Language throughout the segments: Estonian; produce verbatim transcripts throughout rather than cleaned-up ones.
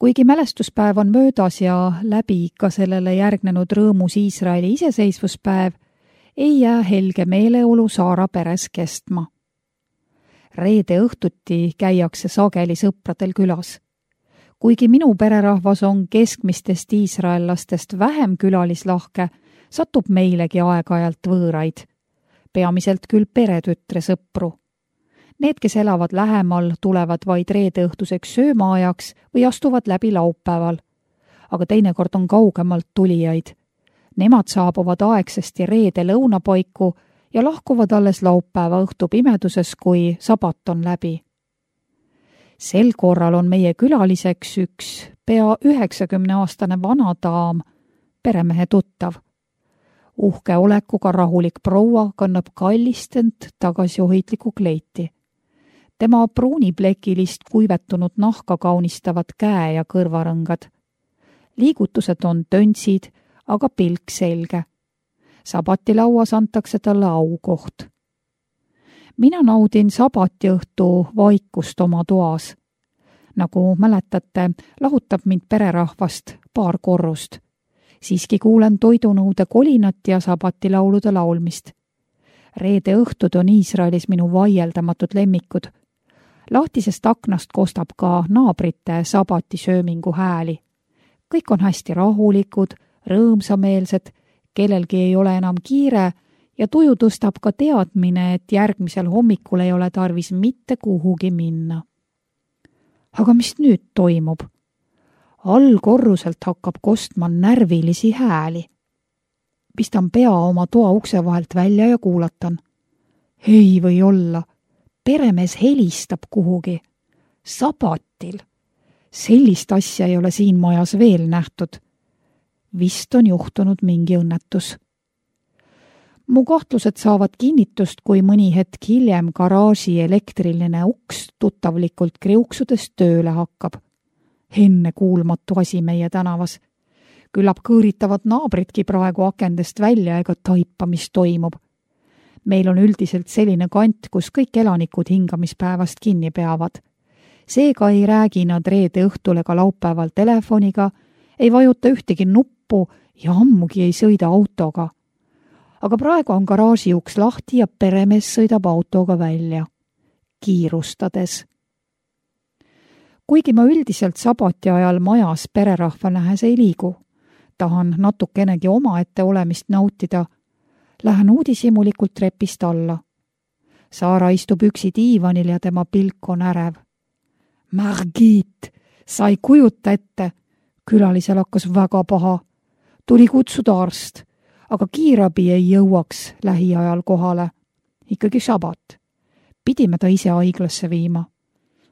Kuigi mälestuspäev on möödas ja läbi ka sellele järgnenud rõõmus Iisraeli iseseisvuspäev, ei jää helge meeleolu Saara peres kestma. Reede õhtuti käiakse sageli sõpradel külas. Kuigi minu pererahvas on keskmistest iisraellastest vähem külalislahke, satub meilegi aeg-ajalt võõraid. Peamiselt küll peretütre sõpru. Need, kes elavad lähemal, tulevad vaid reede õhtuseks söömaajaks või astuvad läbi laupäeval. Aga teinekord on kaugemalt tulijaid. Nemad saabuvad aegsesti reede lõunapaiku ja lahkuvad alles laupäeva õhtu pimeduses, kui sabat on läbi. Sel korral on meie külaliseks üks pea üheksakümneaastane vana daam, peremehe tuttav. Uhke olekuga rahulik proua kannab kallistent tagasiohitliku kleiti. Tema pruuniplekilist kuivetunud nahka kaunistavad käe- ja kõrvarõngad. Liigutused on töntsid, aga pilk selge. Sabatilauas antakse talle aukoht. Mina naudin sabatiõhtu vaikust oma toas. Nagu mäletate, lahutab mind pererahvast paar korrust. Siiski kuulen toidunõude kolinat ja sabatilaulude laulmist. Reede õhtud on Iisraelis minu vaieldamatud lemmikud. Lahtisest aknast kostab ka naabrite sabatisöömingu hääli. Kõik on hästi rahulikud, rõõmsameelsed, kellelgi ei ole enam kiire ja tuju tõstab ka teadmine, et järgmisel hommikul ei ole tarvis mitte kuhugi minna. Aga mis nüüd toimub? Allkorruselt hakkab kostma närvilisi hääli. Pistan pea oma toa ukse vahelt välja ja kuulatan. Ei või olla. Peremees helistab kuhugi. Sabatil. Sellist asja ei ole siin majas veel nähtud. Vist on juhtunud mingi õnnetus. Mu kahtlused saavad kinnitust, kui mõni hetk hiljem garaaži elektriline uks tuttavlikult kriuksudes tööle hakkab. Enne kuulmatu asi meie tänavas. Küllap kõõritavad naabritki praegu akendest välja ega taipa, mis toimub. Meil on üldiselt selline kant, kus kõik elanikud hingamispäevast kinni peavad. Seega ei räägi nad reede õhtul ega laupäeval telefoniga, ei vajuta ühtegi nuppu ja ammugi ei sõida autoga. Aga praegu on garaaži uks lahti ja peremees sõidab autoga välja, kiirustades. Kuigi ma üldiselt sabati ajal majas pererahva nähes ei liigu, tahan natukenegi omaette olemist nautida, lähen uudishimulikult trepist alla. Saara istub üksi diivanil ja tema pilk on ärev. Margit, sa ei kujuta ette. Külalisel hakkas väga paha. Tuli kutsuda arst, aga kiirabi ei jõuaks lähiajal kohale. Ikkagi sabat. Pidime ta ise haiglasse viima.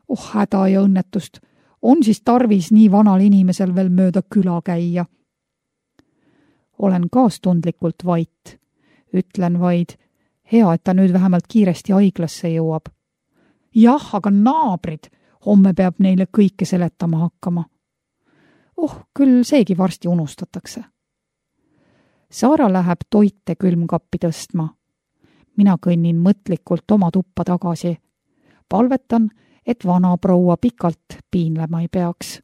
Oh, häda ja õnnetust. On siis tarvis nii vanal inimesel veel mööda küla käia. Olen kaastundlikult vait. Ütlen vaid, hea, et ta nüüd vähemalt kiiresti haiglasse jõuab. Jah, aga naabrid, homme peab neile kõike seletama hakkama. Oh, küll seegi varsti unustatakse. Saara läheb toite külmkappi tõstma. Mina kõnnin mõtlikult oma tuppa tagasi. Palvetan, et vana proua pikalt piinlema ei peaks.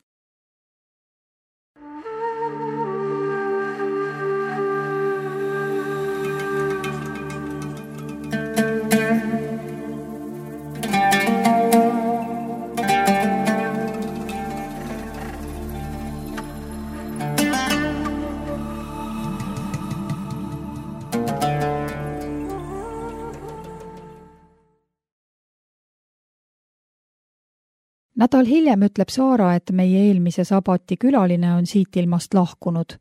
Nädal hiljem ütleb Saara, et meie eelmise sabati külaline on siit ilmast lahkunud.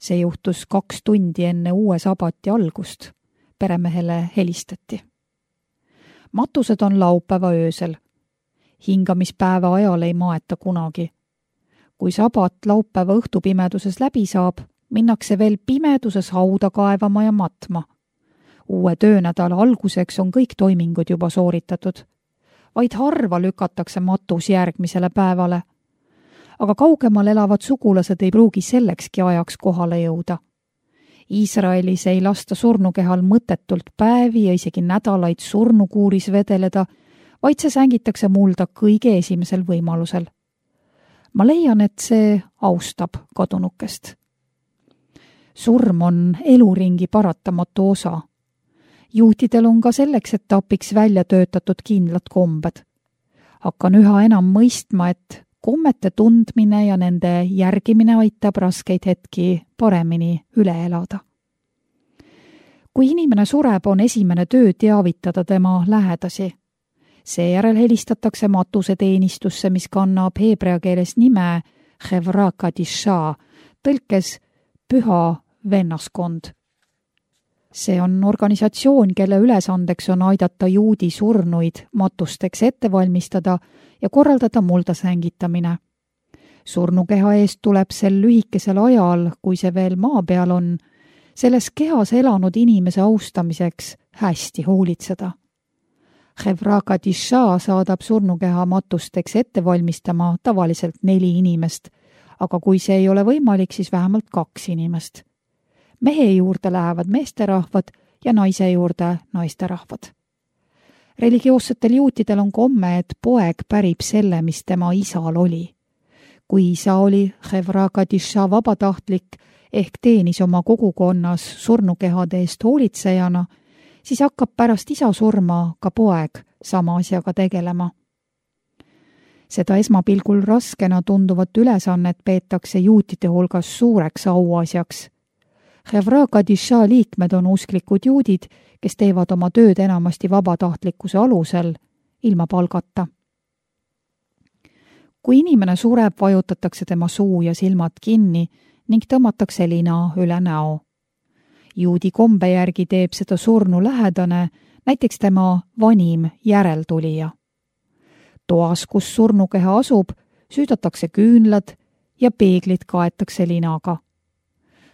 See juhtus kaks tundi enne uue sabati algust. Peremehele helistati. Matused on laupäeva öösel. Hingamispäeva ajal ei maeta kunagi. Kui sabat laupäeva õhtupimeduses läbi saab, minnakse veel pimeduses hauda kaevama ja matma. Uue töönädala alguseks on kõik toimingud juba sooritatud. Vaid harva lükatakse matus järgmisele päevale. Aga kaugemal elavad sugulased ei pruugi sellekski ajaks kohale jõuda. Iisraelis ei lasta surnukehal mõttetult päevi ja isegi nädalaid surnukuuris vedeleda, vaid see sängitakse mulda kõige esimesel võimalusel. ma leian, et see austab kadunukest. Surm on eluringi paratamatu osa. Juutidel on ka selleks, et abiks välja töötatud kindlad kombed. Hakkan üha enam mõistma, et kommete tundmine ja nende järgimine aitab raskeid hetki paremini üle elada. Kui inimene sureb, on esimene töö teavitada tema lähedasi. Seejärel helistatakse matuseteenistusse, mis kannab heebrea keeles nime Chevra Kadisha, tõlkes püha vennaskond. See on organisatsioon, kelle ülesandeks on aidata juudi surnuid matusteks ette valmistada ja korraldada muldasäängitamine. Surnukeha eest tuleb sel lühikesel ajal, kui see veel maa peal on, selles kehas elanud inimese austamiseks hästi hoolitseda. Chevra Kadisha saadab surnukeha matusteks ette valmistama tavaliselt neli inimest, aga kui see ei ole võimalik, siis vähemalt kaks inimest. Mehe juurde lähevad meesterahvad ja naise juurde naisterahvad. Religioossetel juutidel on komme, et poeg pärib selle, mis tema isal oli. Kui isa oli Chevra Kadisha vabatahtlik ehk teenis oma kogukonnas surnukehade eest hoolitsejana, siis hakkab pärast isa surma ka poeg sama asjaga tegelema. Seda esmapilgul raskena tunduvat ülesannet peetakse juutide hulgas suureks auasjaks. Chevra Kadisha liikmed on usklikud juudid, kes teevad oma tööd enamasti vabatahtlikkuse alusel, ilma palgata. Kui inimene sureb, vajutatakse tema suu ja silmad kinni ning tõmmatakse lina üle näo. Juudi kombe järgi teeb seda surnu lähedane, näiteks tema vanim järeltulija. Toas, kus surnukeha asub, süüdatakse küünlad ja peeglid kaetakse linaga.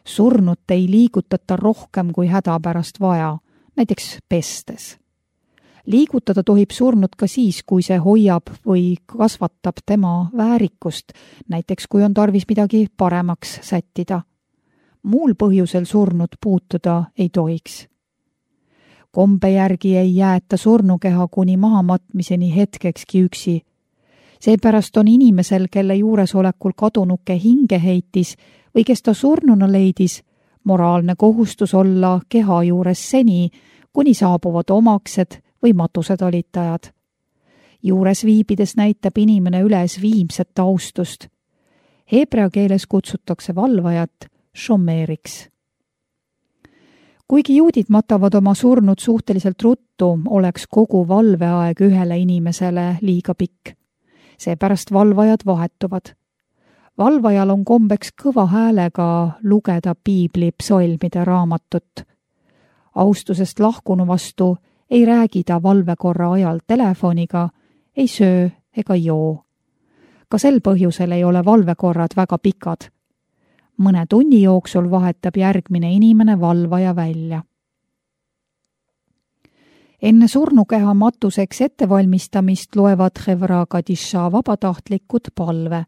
Surnut ei liigutata rohkem kui hädapärast vaja, näiteks pestes. Liigutada tohib surnut ka siis, kui see hoiab või kasvatab tema väärikust, näiteks kui on tarvis midagi paremaks sättida. Muul põhjusel surnut puutuda ei tohiks. Kombe järgi ei jäeta surnukeha kuni mahamatmiseni hetkekski üksi. Seepärast on inimesel, kelle juuresolekul kadunuke hinge heitis või kes ta surnuna leidis, moraalne kohustus olla keha juures seni, kuni saabuvad omaksed või matusetalitajad. Juures viibides näitab inimene üles viimset austust. Heebrea keeles kutsutakse valvajat šomeeriks. Kuigi juudid matavad oma surnud suhteliselt ruttu, oleks kogu valveaeg ühele inimesele liiga pikk. Seepärast valvajad vahetuvad. Valvajal on kombeks kõva häälega lugeda piibli psalmide raamatut. Austusest lahkunu vastu ei räägi ta valvekorra ajal telefoniga, ei söö ega joo. Ka sel põhjusel ei ole valvekorrad väga pikad. Mõne tunni jooksul vahetab järgmine inimene valvaja välja. Enne surnukeha matuseks ettevalmistamist loevad Chevra Kadisha vabatahtlikud palve.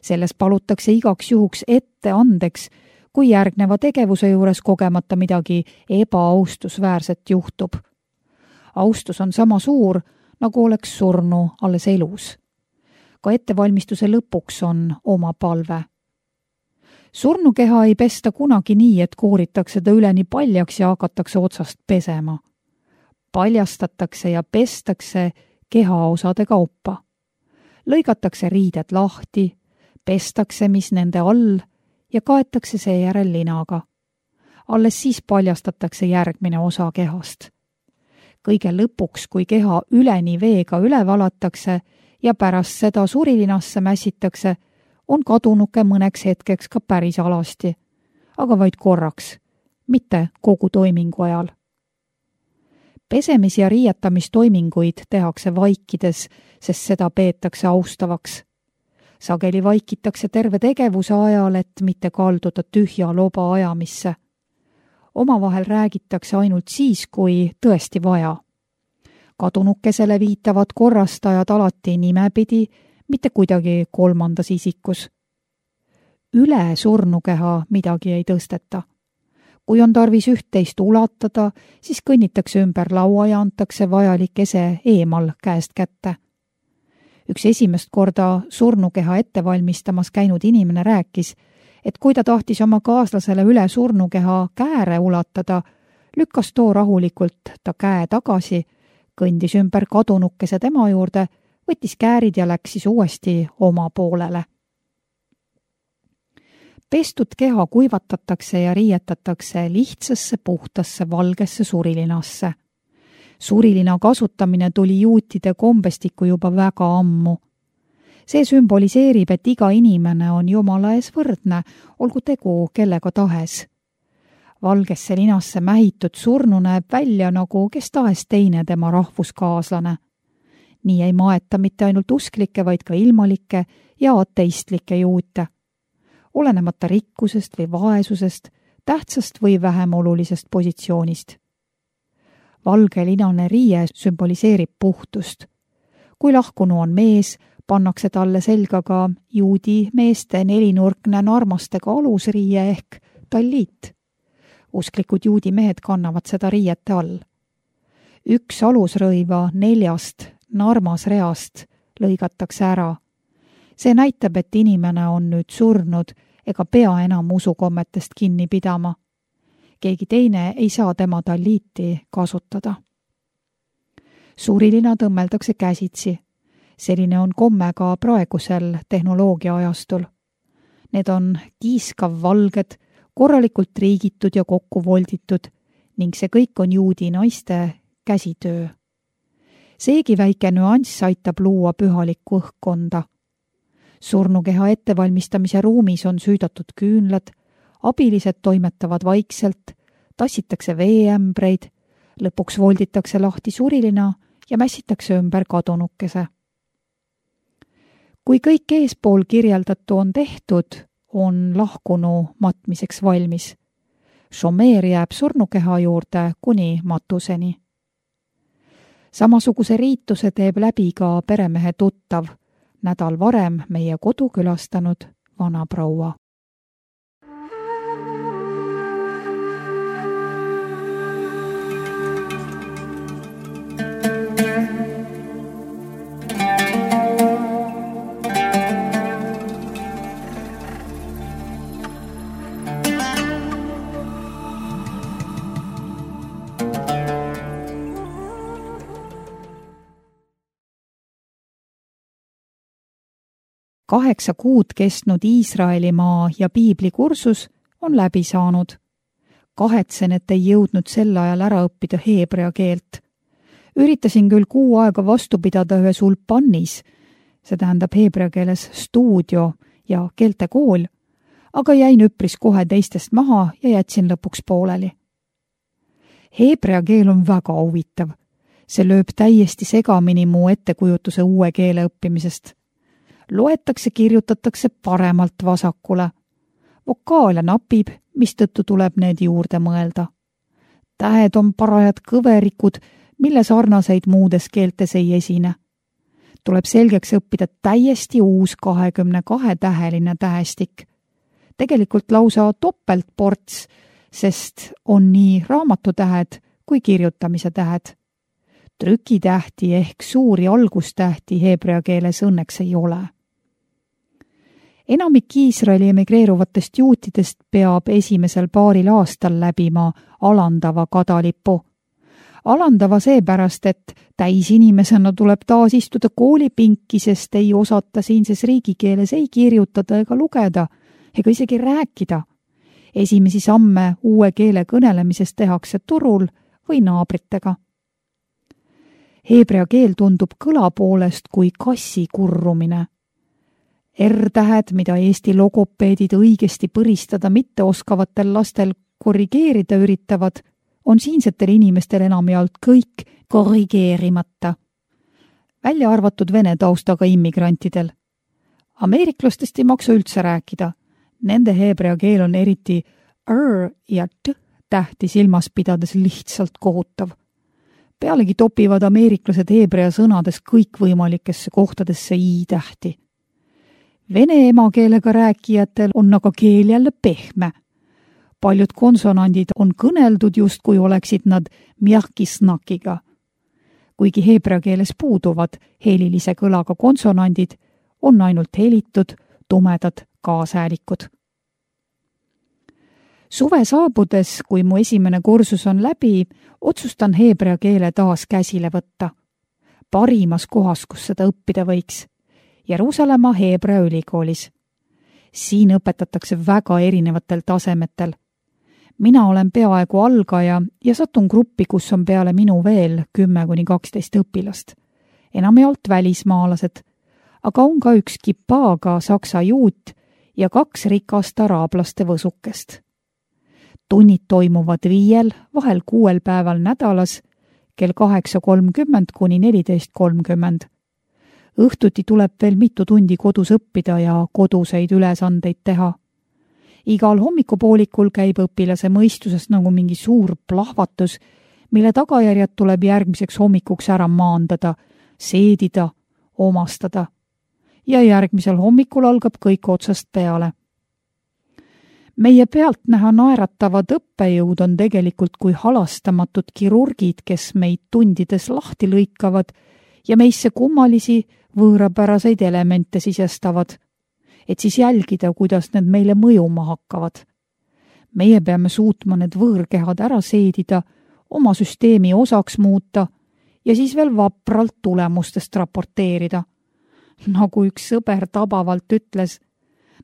Selles palutakse igaks juhuks ette andeks, kui järgneva tegevuse juures kogemata midagi ebaaustusväärset juhtub. Austus on sama suur, nagu oleks surnu alles elus. Ka ettevalmistuse lõpuks on oma palve. Surnukeha ei pesta kunagi nii, et kooritakse ta üleni paljaks ja hakatakse otsast pesema. Paljastatakse ja pestakse kehaosade kaupa. Lõigatakse riided lahti, pestakse, mis nende all ja kaetakse seejärel linaga. Alles siis paljastatakse järgmine osa kehast. Kõige lõpuks, kui keha üleni veega üle valatakse ja pärast seda surilinasse mässitakse, on kadunuke mõneks hetkeks ka päris alasti, aga vaid korraks, mitte kogu toimingu ajal. Pesemis- ja riietamistoiminguid tehakse vaikides, sest seda peetakse austavaks. Sageli vaikitakse terve tegevuse ajal, et mitte kalduda tühja loba ajamisse. Omavahel räägitakse ainult siis, kui tõesti vaja. Kadunukesele viitavad korrastajad alati nimepidi, mitte kuidagi kolmandas isikus. Üle surnukeha midagi ei tõsteta. Kui on tarvis üht-teist ulatada, siis kõnnitakse ümber laua ja antakse vajalik ese eemal käest kätte. Üks esimest korda surnukeha ette valmistamas käinud inimene rääkis, et kui ta tahtis oma kaaslasele üle surnukeha kääre ulatada, lükkas too rahulikult ta käe tagasi, kõndis ümber kadunukese tema juurde, võttis käärid ja läks siis uuesti oma poolele. Pestud keha kuivatatakse ja riietatakse lihtsasse, puhtasse, valgesse surilinasse. Surilina kasutamine tuli juutide kombestikku juba väga ammu. See sümboliseerib, et iga inimene on Jumala ees võrdne, olgu tegu kellega tahes. Valgesse linasse mähitud surnu näeb välja nagu kes tahes teine tema rahvuskaaslane. Nii ei maeta mitte ainult usklikke, vaid ka ilmalikke ja ateistlikke juute. Olenemata rikkusest või vaesusest, tähtsast või vähem olulisest positsioonist. Valge linane riie sümboliseerib puhtust. Kui lahkunu on mees, pannakse talle selga ka juudi meeste nelinurkne narmastega alusriie ehk talliit. Usklikud juudi mehed kannavad seda riiete all. Üks alusrõiva neljast narmasreast lõigatakse ära. See näitab, et inimene on nüüd surnud ega pea enam usukommetest kinni pidama. Keegi teine ei saa tema talliiti kasutada. Surilina tõmmeldakse käsitsi. Selline on komme ka praegusel tehnoloogia ajastul. Need on kiiskav valged, korralikult riigitud ja kokku volditud ning see kõik on juudi naiste käsitöö. Seegi väike nüanss aitab luua pühalikku õhkkonda. Surnukeha ettevalmistamise ruumis on süüdatud küünlad, abilised toimetavad vaikselt, tassitakse veeämbreid, lõpuks volditakse lahti surilina ja mässitakse ümber kadunukese. Kui kõik eespool kirjeldatu on tehtud, on lahkunu matmiseks valmis. Šomeer jääb surnukeha juurde kuni matuseni. Samasuguse riituse teeb läbi ka peremehe tuttav, nädal varem meie kodu külastanud vanaproua. Kaheksa kuud kestnud Iisraelimaa ja piiblikursus on läbi saanud. Kahetsen, et ei jõudnud sel ajal ära õppida heebrea keelt. Üritasin küll kuu aega vastu pidada ühes ulpannis, see tähendab heebrea keeles stuudio ja keeltekool, aga jäin üpris kohe teistest maha ja jätsin lõpuks pooleli. Heebrea keel on väga huvitav. See lööb täiesti segamini mu ettekujutuse uue keele õppimisest. Loetakse, kirjutatakse paremalt vasakule. Vokaale napib, mistõttu tuleb need juurde mõelda. Tähed on parajad kõverikud, mille sarnaseid muudes keeltes ei esine. Tuleb selgeks õppida täiesti uus kahekümne kahe täheline tähestik. Tegelikult lausa topeltports, sest on nii raamatutähed kui kirjutamise tähed. Trükitähti ehk suuri algustähti heebrea keeles õnneks ei ole. Enamik Iisraeli emigreeruvatest juutidest peab esimesel paaril aastal läbima alandava kadalipu. Alandava seepärast, et täisinimesena tuleb taas istuda koolipinki, sest ei osata siinses riigikeeles ei kirjutada ega lugeda, ega isegi rääkida. Esimesi samme uue keele kõnelemises tehakse turul või naabritega. Heebrea keel tundub kõla poolest kui kassi kurrumine. R-tähed, mida Eesti logopeedid õigesti põristada mitte oskavatel lastel korrigeerida üritavad, on siinsetel inimestel enamjaolt kõik korrigeerimata. Välja arvatud vene taustaga immigrantidel. Ameeriklastest ei maksa üldse rääkida. Nende heebrea keel on eriti R ja T tähti silmas pidades lihtsalt kohutav. Pealegi topivad ameeriklased heebrea sõnades kõikvõimalikesse kohtadesse i-tähti. Vene emakeelega rääkijatel on aga keel jälle pehme. Paljud konsonandid on kõneldud just kui oleksid nad mjahkisnakiga. kuigi heebrea keeles puuduvad helilise kõlaga konsonandid, on ainult helitud, tumedad kaashäälikud. Suve saabudes, kui mu esimene kursus on läbi, otsustan heebrea keele taas käsile võtta. Parimas kohas, kus seda õppida võiks. Jeruusalemma Heebrea ülikoolis. Siin õpetatakse väga erinevatel tasemetel. Mina olen peaaegu algaja ja satun gruppi, kus on peale minu veel kümme kuni kaksteist õpilast. Enamjaolt välismaalased, aga on ka üks kipaaga saksa juut ja kaks rikast araablaste võsukest. Tunnid toimuvad viiel, vahel kuuel päeval nädalas, kell kaheksa kolmkümmend kuni neliteist kolmkümmend. Õhtuti tuleb veel mitu tundi kodus õppida ja koduseid ülesandeid teha. Igal hommikupoolikul käib õpilase mõistusest nagu mingi suur plahvatus, mille tagajärjed tuleb järgmiseks hommikuks ära maandada, seedida, omastada. Ja järgmisel hommikul algab kõik otsast peale. Meie pealt näha naeratavad õppejõud on tegelikult kui halastamatud kirurgid, kes meid tundides lahti lõikavad ja meisse kummalisi võõrapäraseid elemente sisestavad, et siis jälgida, kuidas need meile mõjuma hakkavad. Meie peame suutma need võõrkehad ära seedida, oma süsteemi osaks muuta ja siis veel vapralt tulemustest raporteerida. Nagu üks sõber tabavalt ütles,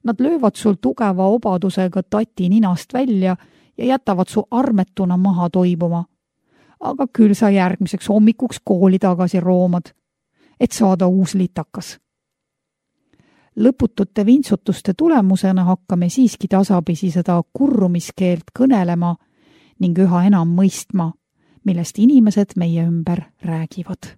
nad löövad sul tugeva obadusega tati ninast välja ja jätavad su armetuna maha toibuma. Aga küll sa järgmiseks hommikuks kooli tagasi roomad, et saada uus litakas. Lõputute vintsutuste tulemusena hakkame siiski tasapisi seda kurrumiskeelt kõnelema ning üha enam mõistma, millest inimesed meie ümber räägivad.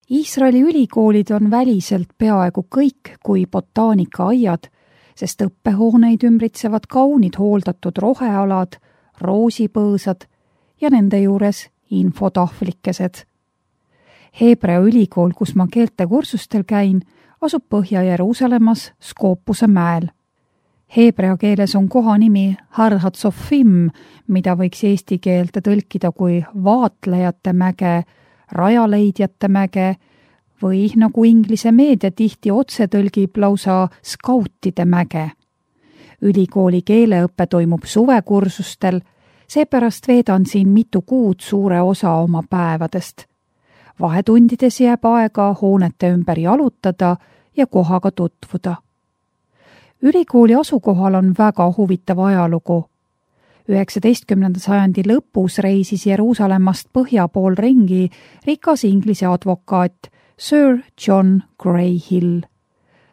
Iisraeli ülikoolid on väliselt peaaegu kõik kui botaanikaaiad, sest õppehooneid ümbritsevad kaunid hooldatud rohealad, roosipõõsad ja nende juures infotahvlikesed. Heebrea ülikool, kus ma keeltekursustel käin, asub Põhja-Jeruusalemmas Skoopuse mäel. Heebrea keeles on kohanimi Har Hatzofim, mida võiks eesti keelde tõlkida kui vaatlejate mäge, rajaleidjate mäge või nagu inglise meedia tihti otse tõlgib lausa skautide mäge. Ülikooli keeleõppe toimub suvekursustel, seepärast veedan siin mitu kuud suure osa oma päevadest. Vahetundides jääb aega hoonete ümber jalutada ja kohaga tutvuda. Ülikooli asukohal on väga huvitav ajalugu. üheksateistkümnenda sajandi lõpus reisis Jeruusalemmast põhja pool ringi rikas inglise advokaat Sir John Greyhill.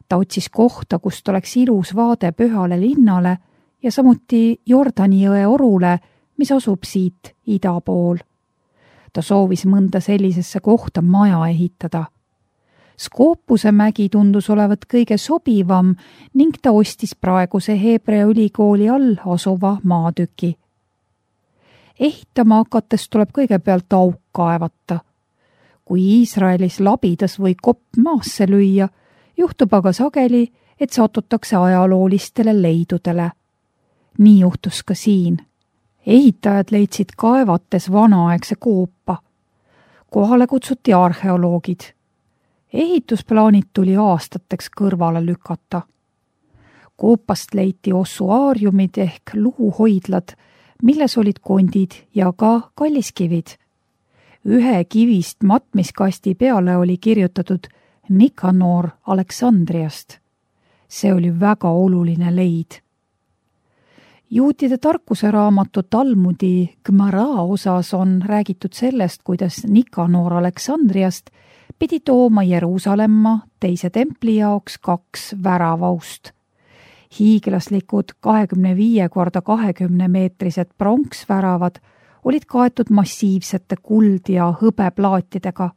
Ta otsis kohta, kust oleks ilus vaade pühale linnale ja samuti Jordani jõe orule, mis asub siit ida pool. Ta soovis mõnda sellisesse kohta maja ehitada. Skoopuse mägi tundus olevat kõige sobivam ning ta ostis praeguse Heebrea ülikooli all asuva maatüki. Ehitama hakates tuleb kõigepealt auk kaevata. Kui Iisraelis labidas või kopp maasse lüüa, juhtub aga sageli, et satutakse ajaloolistele leidudele. Nii juhtus ka siin. Ehitajad leidsid kaevates vanaaegse koopa. Kohale kutsuti arheoloogid. Ehitusplaanid tuli aastateks kõrvale lükata. Koopast leiti ossuaariumid ehk luuhoidlad, milles olid kondid ja ka kalliskivid. Ühe kivist matmiskasti peale oli kirjutatud Nikanor Aleksandriast. See oli väga oluline leid. Juutide tarkuseraamatu Talmudi Gmara osas on räägitud sellest, kuidas Nikanor Aleksandriast pidi tooma Jeruusalemma teise templi jaoks kaks väravaust. Hiiglaslikud kahekümne viie korda kahekümne meetrised pronksväravad olid kaetud massiivsete kuld- ja hõbeplaatidega.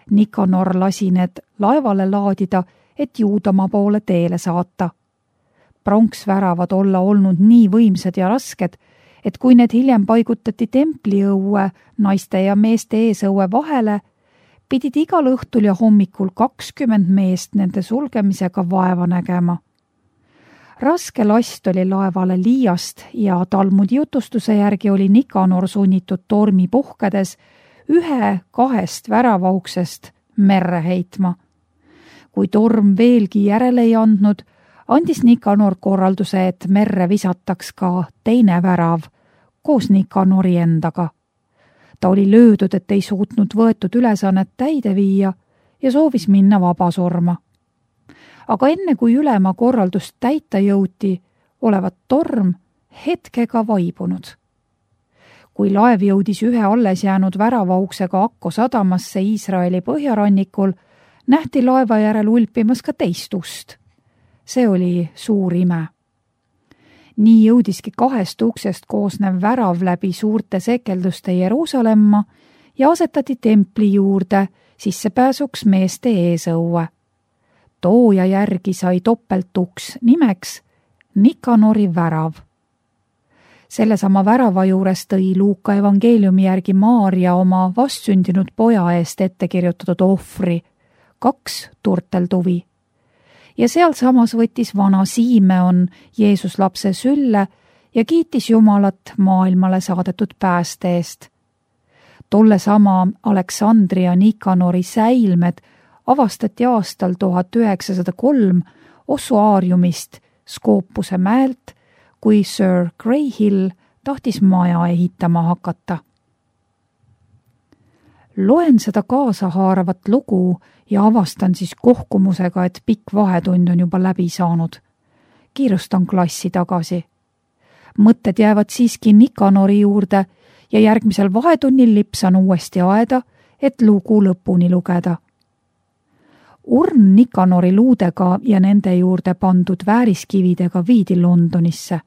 Nikanor lasi need laevale laadida, et Juudamaa poole teele saata. Pronksväravad olla olnud nii võimsad ja rasked, et kui need hiljem paigutati templiõue naiste ja meeste eesõue vahele, pidid igal õhtul ja hommikul kakskümmend meest nende sulgemisega vaeva nägema. Raske last oli laevale liiast ja Talmudi jutustuse järgi oli Nikanor sunnitud tormi puhkedes ühe kahest väravauksest merre heitma. Kui torm veelgi järele ei andnud, andis Nikanor korralduse, et merre visataks ka teine värav koos Nikanori endaga. Ta oli löödud, et ei suutnud võetud ülesannet täide viia ja soovis minna vabasurma. Aga enne kui ülema korraldust täita jõuti, olevat torm hetkega vaibunud. Kui laev jõudis ühe alles jäänud väravauksega Akko sadamasse Iisraeli põhjarannikul, nähti laeva järel ulpimas ka teist ust. See oli suur ime. Nii jõudiski kahest uksest koosnev värav läbi suurte sekelduste Jeruusalemma ja asetati templi juurde sissepääsuks meeste eesõue. Tooja järgi sai topeltuks nimeks Nikanori värav. Sellesama värava juures tõi Luuka evangeeliumi järgi Maaria oma vastsündinud poja eest ette kirjutatud ohvri, kaks turteltuvi. Ja sealsamas võttis vana Siimeon Jeesus lapse sülle ja kiitis Jumalat maailmale saadetud pääste eest. Tolle sama Aleksandria Nikanori säilmed avastati aastal tuhat üheksasada kolm ossuaariumist Skoopuse mäelt, kui Sir Greyhill tahtis maja ehitama hakata. Loen seda kaasahaaravat lugu ja avastan siis kohkumusega, et pikk vahetund on juba läbi saanud. Kiirustan klassi tagasi. Mõtted jäävad siiski Nikanori juurde ja järgmisel vahetunnil lipsan uuesti aeda, et lugu lõpuni lugeda. Urn Nikanori luudega ja nende juurde pandud vääriskividega viidi Londonisse.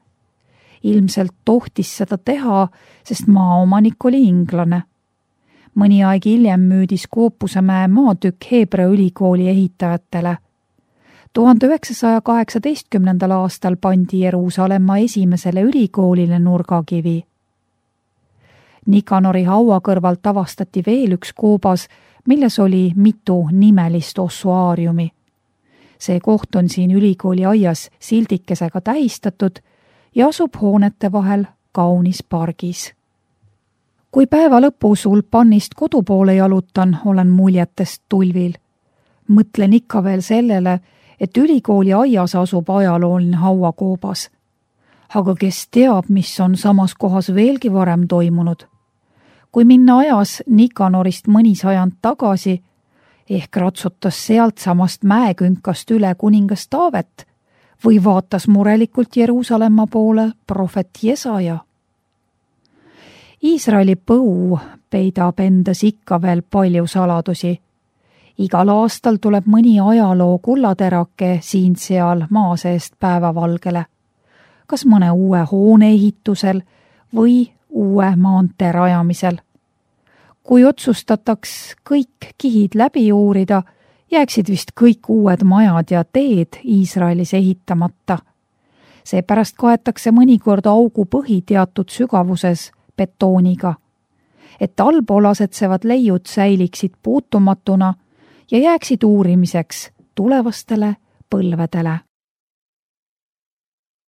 Ilmselt tohtis seda teha, sest maaomanik oli inglane. Mõni aeg hiljem müüdis Skoopusemäe maatükk Heebrea ülikooli ehitajatele. tuhande üheksasaja kaheksateistkümnendal aastal pandi Jeruusalemma esimesele ülikoolile nurgakivi. Nikanori haua kõrvalt avastati veel üks koobas, milles oli mitu nimelist ossuaariumi. See koht on siin ülikooli aias sildikesega tähistatud ja asub hoonete vahel kaunis pargis. Kui päeva lõpus Ulpannist kodu poole jalutan, olen muljetest tulvil. Mõtlen ikka veel sellele, et ülikooli aias asub ajalooline hauakoobas. Aga kes teab, mis on samas kohas veelgi varem toimunud? Kui minna ajas Nikanorist mõni sajand tagasi, ehk ratsutas sealt samast mäekünkast üle kuningas Taavet või vaatas murelikult Jeruusalemma poole prohvet Jesaja. Iisraeli põu peidab endas ikka veel palju saladusi. Igal aastal tuleb mõni ajaloo kullaterake siin-seal maa seest päevavalgele, kas mõne uue hoone ehitusel või uue maantee rajamisel. Kui otsustataks kõik kihid läbi uurida, jääksid vist kõik uued majad ja teed Iisraelis ehitamata. Seepärast kaetakse mõnikord augu põhi teatud sügavuses betooniga, et allpool asetsevad leiud säiliksid puutumatuna ja jääksid uurimiseks tulevastele põlvedele.